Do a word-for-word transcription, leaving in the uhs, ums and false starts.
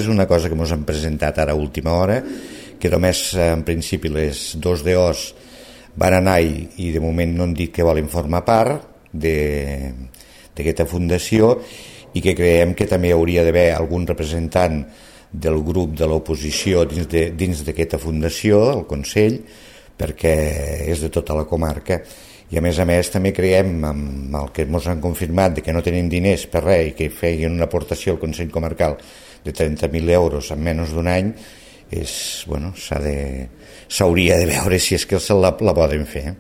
és una cosa que ens han presentat ara a última hora, que només en principi les dos D Os van anar i, i de moment no han dit que volen formar part d'aquesta fundació, i que creiem que també hauria d'haver algun representant del grup de l'oposició dins de, dins d'aquesta fundació, el Consell, perquè és de tota la comarca. I a més a més també creiem, amb el que ens han confirmat de que no tenim diners per res i que feien una aportació al Consell Comarcal de trenta mil euros en menys d'un any, és, bueno, s'ha de, s'hauria de veure si és que se la, la poden fer.